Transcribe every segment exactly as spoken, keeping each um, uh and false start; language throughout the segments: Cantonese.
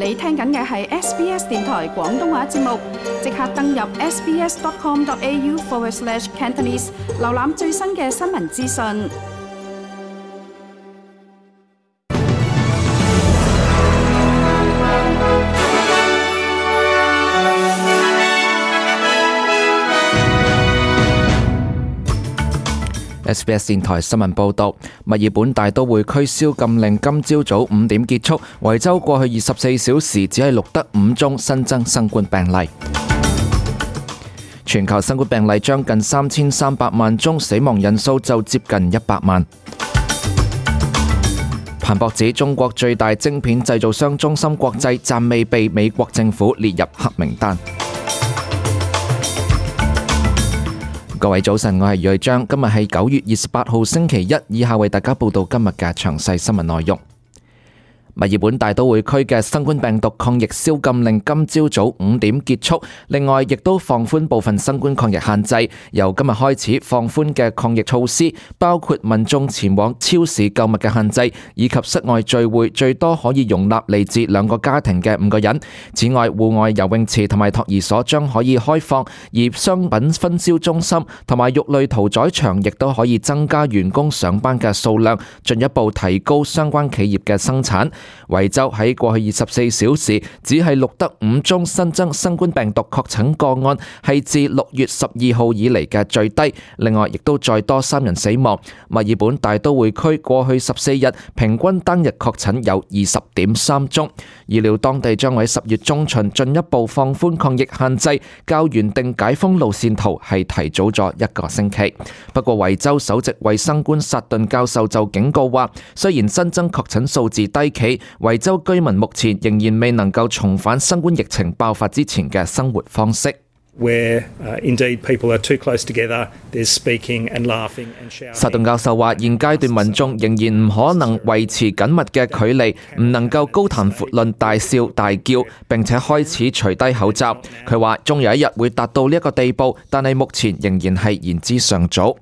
你聽緊嘅係 S B S 電台廣東話節目，即刻登入 sbs.com.au forward slash Cantonese， 瀏覽最新嘅新聞資訊。S B S 電台新聞報道，墨爾本大都會區宵禁令今朝早五點結束，維州過去二十四小時只係錄得五宗新增新冠病例。全球新冠病例將近三千三百萬宗，死亡人數就接近一百萬。彭博指中國最大晶片製造商中芯國際暫未被美國政府列入黑名單。各位早晨，我係余章，今日係九月二十八號星期一，以下為大家報道今日嘅詳細新聞內容。墨爾本大都會區嘅新冠病毒抗疫宵禁令今朝早五點結束，另外亦都放寬部分新冠抗疫限制。由今日開始放寬嘅抗疫措施包括民眾前往超市購物嘅限制，以及室外聚會最多可以容納嚟自兩個家庭嘅五個人。此外，戶外游泳池同埋托兒所將可以開放，而商品分銷中心同埋肉類屠宰場亦都可以增加員工上班嘅數量，進一步提高相關企業嘅生產。維州喺過去二十四小時只係錄得五宗新增新冠病毒確診個案，係自六月十二號以嚟嘅最低。另外，亦都再多三人死亡。墨爾本大都會區過去十四日平均單日確診有二十點三宗。預料當地將喺十月中旬進一步放寬抗疫限制，較原定解封路線圖係提早咗一個星期。不過，維州首席衛生官薩頓教授就警告話，雖然新增確診數字低企，維州居民目前仍然未能夠重返新冠疫情爆發之前嘅生活方式。Where, uh, indeed, people are too close together, there's speaking and laughing and shouting. 薩頓教授話：現階段民眾仍然唔可能維持緊密嘅距離，唔能夠高談闊論、大笑大叫，並且開始除低口罩。佢話：終有一日會達到呢一個地步，但係目前仍然係言之尚早。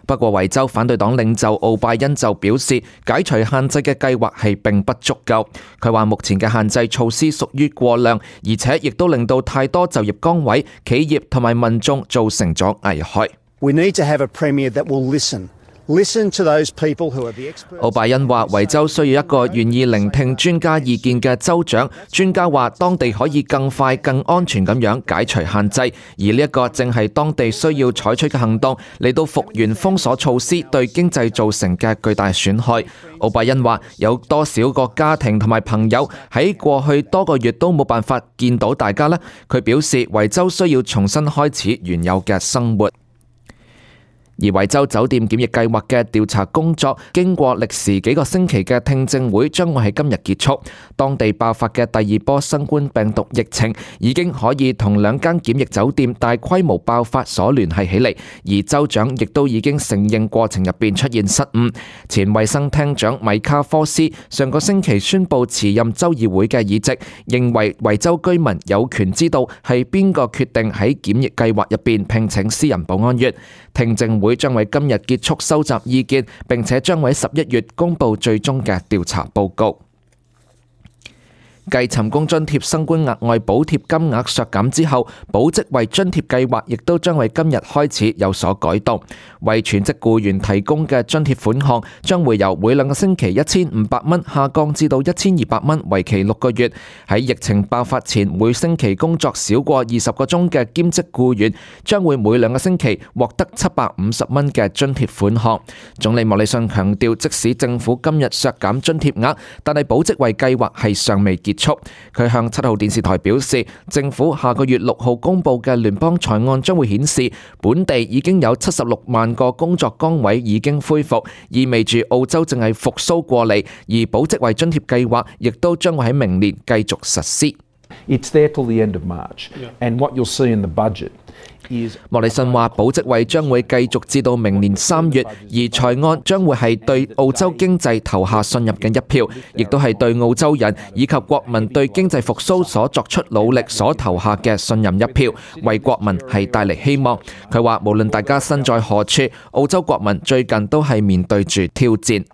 不過，維州反對黨領袖奧拜恩就表示，解除限制嘅計劃係並不足夠。佢話目前嘅限制措施屬於過量，而且亦都令到太多就業崗位、企業同埋民眾造成咗危害。We need to have a premier that will listen. Listen to those people who are the experts. 奧拜恩話：維州需要一個願意聆聽專家意見嘅州長。專家話，當地可以更快、更安全咁樣解除限制，而呢一個正係當地需要採取嘅行動，嚟到復原封鎖措施對經濟造成嘅巨大損害。奧拜恩話：有多少個家庭同埋朋友喺過去多個月都冇辦法見到大家呢？佢表示，維州需要重新開始原有嘅生活。而維州酒店檢疫計劃嘅調查工作經過歷時幾個星期嘅聽證會將會喺今日結束。當地爆發嘅第二波新冠病毒疫情已經可以同兩間檢疫酒店大規模爆發所聯繫起嚟，而州長亦都已經承認過程入邊出現失誤。前衛生廳長米卡科斯上個星期宣布辭任州議會嘅議席，認為維州居民有權知道係邊個決定喺檢疫計劃入邊聘請私人保安員。聽證會將喺今日結束收集意見，並且將喺十一月公布最終嘅調查報告。繼尋工津貼新冠額外補貼金額削減之後，保職位津貼計劃亦都將喺今日開始有所改動。為全職僱員提供嘅津貼款項將會由每兩個星期一千五百蚊下降至到一千二百蚊，為期六個月。喺疫情爆發前每星期工作少過二十個鐘嘅兼職僱員將會每兩個星期獲得七百五十蚊嘅津貼款項。總理莫里遜強調，即使政府今日削減津貼額，但係保職位計劃係尚未結束。佢向七號電視台表示，政府下個月六號公布嘅聯邦財案將會顯示，本地已經有七十六萬個工作崗位已經恢復，意味住澳洲正係復甦過嚟，而保職位津貼計劃亦都將會喺明年繼續實施。It's there till the end of March, and what you'll see in the budget.莫里遜話：保職位將會繼續至到明年三月，而財案將會係對澳洲經濟投下信任嘅一票，亦都係對澳洲人以及國民對經濟復甦所作出努力所投下嘅信任一票，為國民係帶嚟希望。佢話：無論大家身在何處，澳洲國民最近都係面對住挑戰。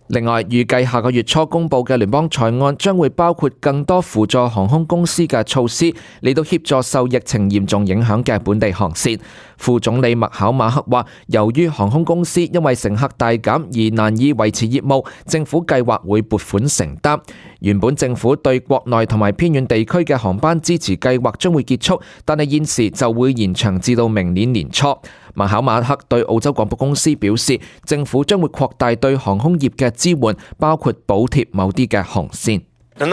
另外，預計下個月初公佈嘅聯邦財案將會包括更多輔助航空公司嘅措施，嚟到協助受疫情嚴重影響嘅本地航線。副總理麥考馬克話，由於航空公司因為乘客大減而難以維持業務，政府計劃會撥款承擔。原本政府對國內同埋偏遠地區嘅航班支持計劃將會結束，但係現時就會延長至到明年年初。麥考馬克對澳洲廣播公司表示，政府將會擴大對航空業嘅支援，包括補貼某啲嘅航線。麥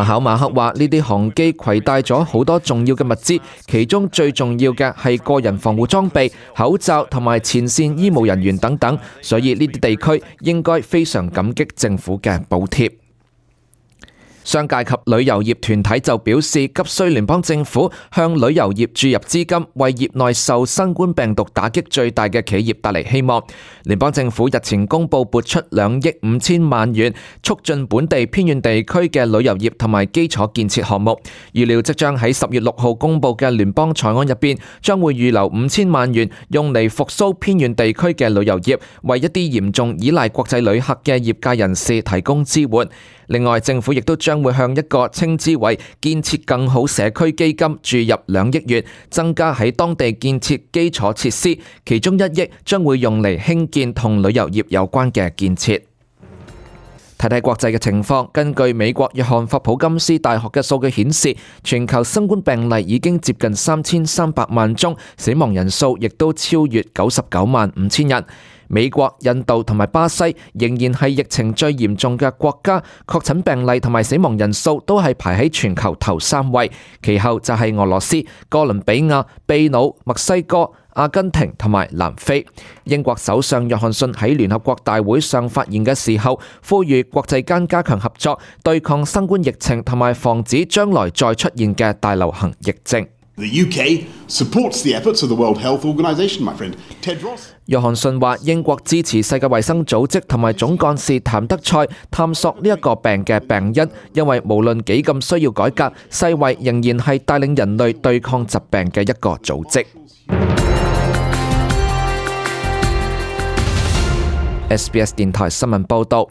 考馬克話：呢啲航機攜帶咗好多重要嘅物資，其中最重要嘅係個人防護裝備、口罩同埋前線醫務人員等等，所以呢啲地區應該非常感激政府嘅補貼。商界及旅遊業團體就表示，急需聯邦政府向旅遊業注入資金，為業內受新冠病毒打擊最大嘅企業帶嚟希望。聯邦政府日前公布撥出兩億五千萬元，促進本地偏遠地區嘅旅遊業同埋基礎建設項目。預料即將喺十月六號公布嘅聯邦財案入邊，將會預留五千萬元，用嚟復甦偏遠地區嘅旅遊業，為一啲嚴重依賴國際旅客嘅業界人士提供支援。另外，政府亦都將會向一個稱之為建設更好社區基金注入兩億元，增加喺當地建設基礎設施，其中一億將會用嚟興建同旅遊業有關嘅建設。睇睇國際嘅情況，根據美國約翰霍普金斯大學嘅數據顯示，全球新冠病例已經接近三千三百萬宗，死亡人數亦都超越九十九萬五千人。美國、印度同埋巴西仍然係疫情最嚴重嘅國家，確診病例同埋死亡人數都係排喺全球頭三位，其後就係俄羅斯、哥倫比亞、秘魯、墨西哥、阿根廷同埋南非。英國首相約翰遜喺聯合國大會上發言嘅時候，呼籲國際間加強合作，對抗新冠疫情同埋防止將來再出現嘅大流行疫症。The U K supports the efforts of the World Health Organization, my friend Tedros. 約翰遜話：英國支持世界衛生組織同埋總幹事譚德塞探索呢一個病嘅病因，因為無論幾咁需要改革，世衛仍然係帶領人類對抗疾病嘅一個組織。S B S 電台新聞報導。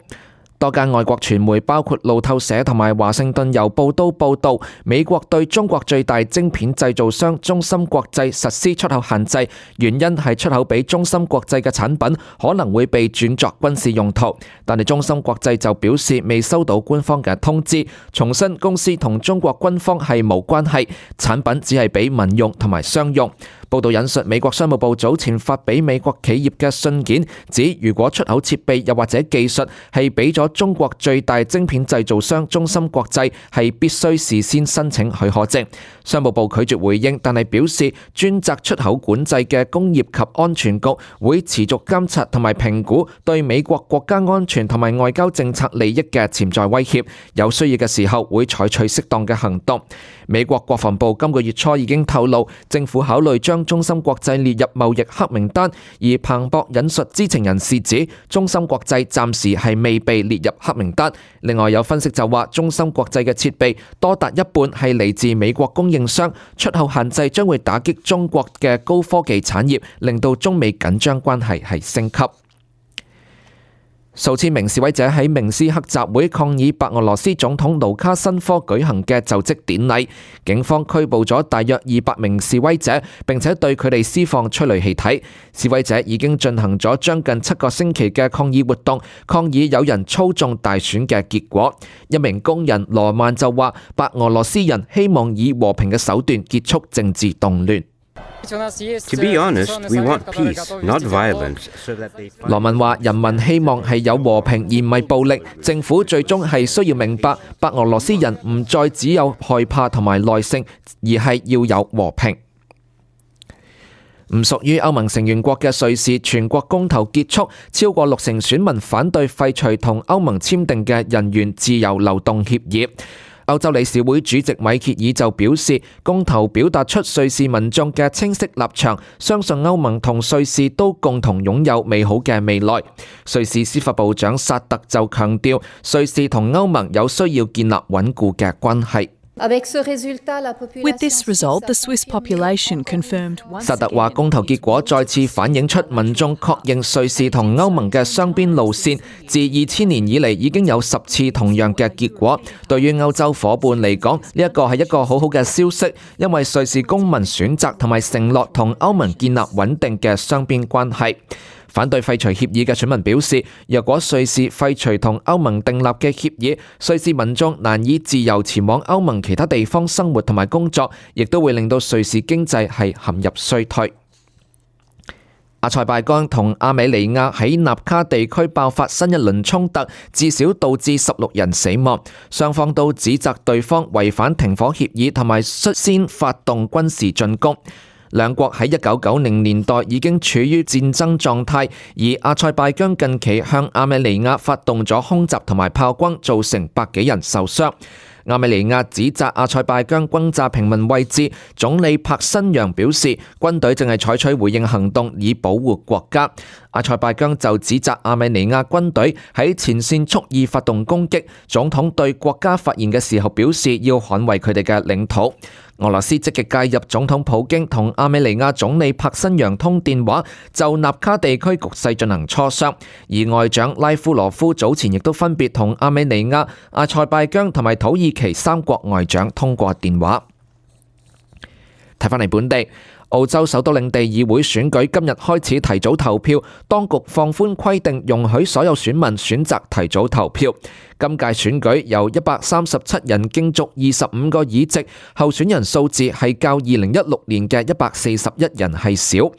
多間外國傳媒包括路透社同埋華盛頓郵報都報導，美國對中國最大晶片製造商中芯國際實施出口限制，原因係出口俾中芯國際嘅產品可能會被轉作軍事用途。但係中芯國際就表示未收到官方嘅通知，重申公司同中國軍方係冇關係，產品只係俾民用同埋商用。報道引述美國商務部早前發俾美國企業嘅信件，指如果出口設備又或者技術係俾咗中國最大晶片製造商中芯國際，係必須事先申請許可證。商務部拒絕回應，但係表示專責出口管制嘅工業及安全局會持續監察同埋評估對美國國家安全同埋外交政策利益嘅潛在威脅，有需要嘅時候會採取適當嘅行動。美國國防部今個月初已經透露，政府考慮將中芯國際列入貿易黑名單，而彭博引述知情人士指，中芯國際暫時係未被列入黑名單。另外有分析就話，中芯國際嘅設備多達一半係嚟自美國供應商，出口限制將會打擊中國嘅高科技產業，令到中美緊張關係係升級。數千名示威者喺明斯克集會抗議白俄羅斯總統盧卡申科舉行嘅就職典禮，警方拘捕咗大約二百名示威者，並且對佢哋施放催淚氣體。示威者已經進行咗將近七個星期嘅抗議活動，抗議有人操縱大選嘅結果。一名工人羅曼就話，白俄羅斯人希望以和平嘅手段結束政治動亂。To be honest, we want peace, not violence. 羅文話：人民希望係有和平而唔係暴力，政府最終係需要明白，白俄羅斯人唔再只有害怕同埋耐性，而係要有和平。唔屬於歐盟成員國嘅瑞士全國公投結束，超過六成選民反對廢除同歐盟簽訂嘅人員自由流動協議。歐洲理事會主席米歇爾就表示，公投表達出瑞士民眾嘅清晰立場，相信歐盟同瑞士都共同擁有美好嘅未來。瑞士司法部長薩特就強調，瑞士同歐盟有需要建立穩固嘅關係。With this result, the Swiss population confirmed once 薩特話公投結果再次反映出民眾確認瑞士同歐盟嘅雙邊路線，自二千年以嚟已經有十次同樣嘅結果。對於歐洲伙伴嚟講，呢一個係一個好好嘅消息，因為瑞士公民選擇同埋承諾同歐盟建立穩定嘅雙邊關係。反對廢除協議嘅選民表示，若果瑞士廢除同歐盟訂立嘅協議，瑞士民眾難以自由前往歐盟其他地方生活同埋工作，亦都會令到瑞士經濟係陷入衰退。阿塞拜疆同亞美尼亞喺納卡地區爆發新一輪衝突，至少導致十六人死亡，雙方都指責對方違反停火協議同埋率先發動軍事進攻。兩國喺一九九零年代已經處於戰爭狀態，而阿塞拜疆近期向亞美尼亞發動咗空襲同埋炮轟，造成百幾人受傷。亞美尼亞指責阿塞拜疆轟炸平民位置，總理柏新揚表示軍隊正係採取回應行動以保護國家。阿塞拜疆就指責亞美尼亞軍隊喺前線蓄意發動攻擊，總統對國家發言嘅時候表示要捍衛佢哋嘅領土。俄羅斯積極介入總統普京同亞美尼亞總理柏新揚通電話，就納卡地區局勢進行磋商。而外長拉夫羅夫早前亦都分別同亞美尼亞、阿塞拜疆同埋土耳其三國外長通過電話。睇返嚟本地，澳洲首都領地議會選舉今日開始提早投票，當局放寬規定，容許所有選民選擇提早投票。今屆選舉由一百三十七人競逐二十五個議席，候選人數字係較二零一六年嘅一百四十一人係少。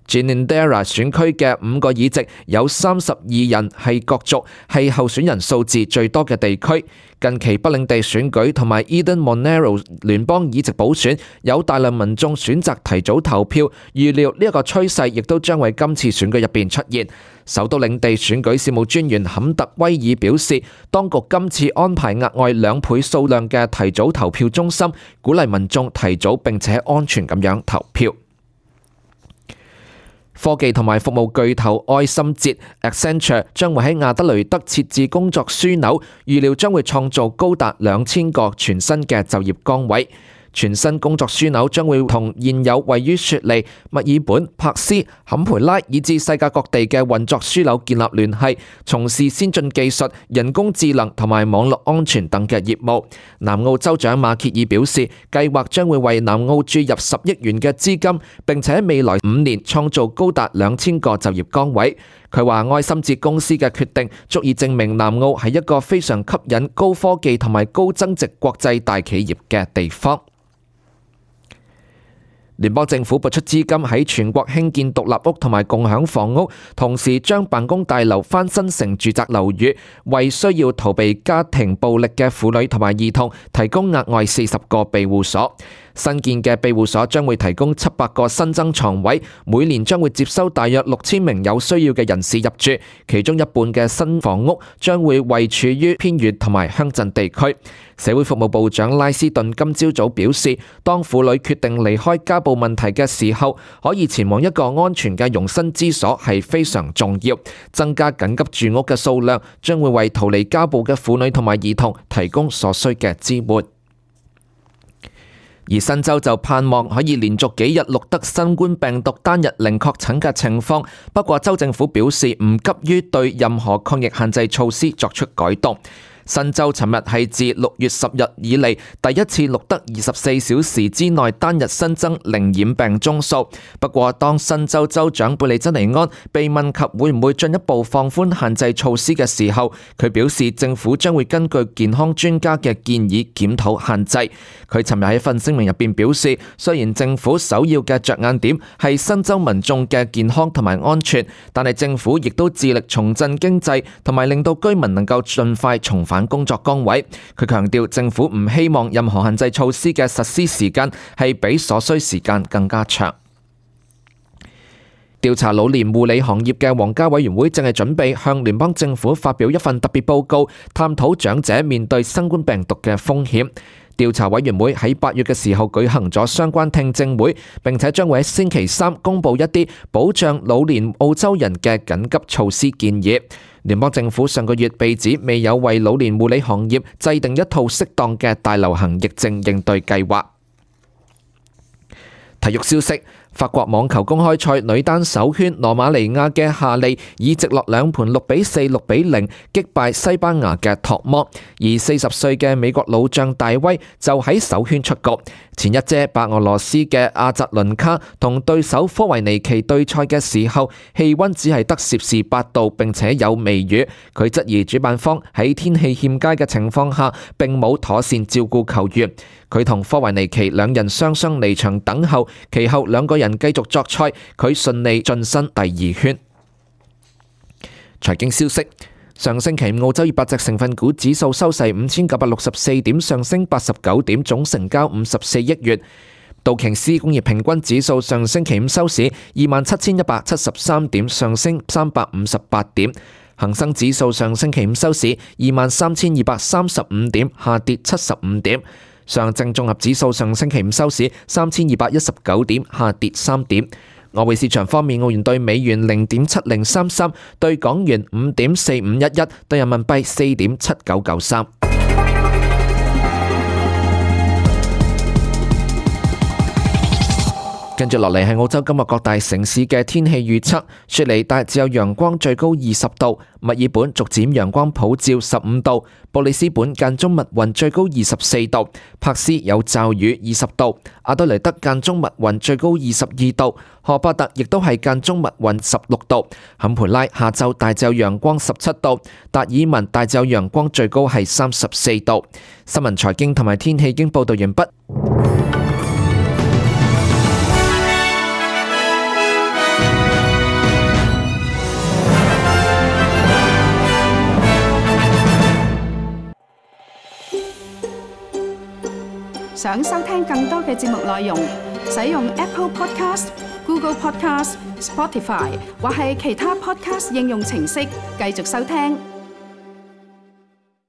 Ginninderra 選區嘅五個議席有三十二人係角逐，係候選人數字最多嘅地區。近期北領地選舉同埋 Eden Monaro 聯邦議席補選有大量民眾選擇提早投票，預料呢一個趨勢亦都將喺今次選舉入邊出現。首都領地選舉事務專員坎特威爾表示，當局今次安排額外兩倍數量嘅提早投票中心，鼓勵民眾提早並且安全咁樣投票。科技同埋服務巨頭愛心捷 Accenture 將會喺亞德雷德設置工作樞紐，預料將會創造高達兩千個全新嘅就業崗位。全新工作樞紐將會同現有位於雪梨、墨爾本、珀斯、坎培拉以至世界各地嘅運作樞紐建立聯繫，從事先進技術、人工智能同埋網絡安全等嘅業務。南澳州長馬歇爾表示，計劃將會為南澳注入十億元嘅資金，並且喺未來五年創造高達兩千個就業崗位。佢話愛心捷公司嘅決定足以證明南澳係一個非常吸引高科技同埋高增值國際大企業嘅地方。聯邦政府撥出資金喺全國興建獨立屋同埋共享房屋，同時將辦公大樓翻新成住宅樓宇，為需要逃避家庭暴力嘅婦女同埋兒童提供額外四十個庇護所。新建嘅庇護所將會提供七百個新增床位，每年將會接收大約六千名有需要嘅人士入住，其中一半嘅新房屋將會位處於偏遠同埋鄉鎮地區。社會服務部長拉斯頓今朝早表示，當婦女決定離開家暴問題嘅時候，可以前往一個安全嘅容身之所係非常重要。增加緊急住屋嘅數量，將會為逃離家暴嘅婦女同埋兒童提供所需嘅支援。而新州就盼望可以連續幾日錄得新冠病毒單日零確診嘅情況，不過州政府表示唔急於對任何抗疫限制措施作出改動。新州尋日係自六月十日以嚟第一次錄得二十四小時之內單日新增零染病宗數。不過，當新州州長貝利珍尼安被問及會唔會進一步放寬限制措施嘅時候，佢表示政府將會根據健康專家嘅建議檢討限制。佢尋日喺份聲明入邊表示，雖然政府首要嘅着眼點係新州民眾嘅健康同埋安全，但係政府亦都致力重振經濟，同埋令到居民能夠盡快重返工作崗位。佢強調政府唔希望任何限制措施嘅實施時間係比所需時間更加長。調查老年護理行業嘅皇家委員會正係準備向聯邦政府發表一份特別報告，探討長者面對新冠病毒嘅風險。調查委員會喺八月嘅時候舉行咗相關聽證會，並且將會喺星期三公佈一啲保障老年澳洲人嘅緊急措施建議。聯邦政府上個月被指未有為老年護理行業制定一套適當嘅大流行疫症應對計劃。體育消息，法國網球公開賽女單首圈羅馬尼亞嘅夏利以直落兩盤六比四、六比零擊敗西班牙嘅托摩，而四十歲嘅美國老將大威就喺首圈出局。前一姐白俄羅斯嘅阿扎倫卡同對手科維尼奇對賽嘅時候，氣溫只係得攝氏八度，並且有微雨。佢質疑主辦方喺天氣欠佳嘅情況下，並冇妥善照顧球員。佢同科維尼奇兩人雙雙離場等候，其後兩個人繼續作賽，佢順利晉身第二圈。財經消息，上星期澳洲二百隻成分股指數收市五千九百六十四點，上升八十九點，總成交五十四億元。道瓊斯工業平均指數上星期五收市二萬七千一百七十三點，上升三百五十八點。恒生指數上星期五收市二萬三千二百三十五點，下跌七十五點。上證綜合指數上星期五收市三千二百一十九點，下跌三點。外匯市場方面，澳元兌美元零點七零三三，兌港元五點四五一一，兌人民幣四點七九九三。跟住落嚟係澳洲今日各大城市嘅天氣預測。雪梨大致有陽光，最高二十度；墨爾本逐漸陽光普照，十五度；布里斯本間中密雲，最高二十四度；柏斯有驟雨，二十度；阿德雷德間中密雲，最高二十二度；荷伯特亦都係間中密雲，十六度；坎培拉下晝大致有陽光，十七度；達爾文大致有陽光，最高係三十四度。新聞財經同埋天氣已經報道完畢。想收聽更多嘅節目內容，使用 Apple Podcast、Google Podcast、Spotify 或係其他 Podcast 應用程式繼續收聽。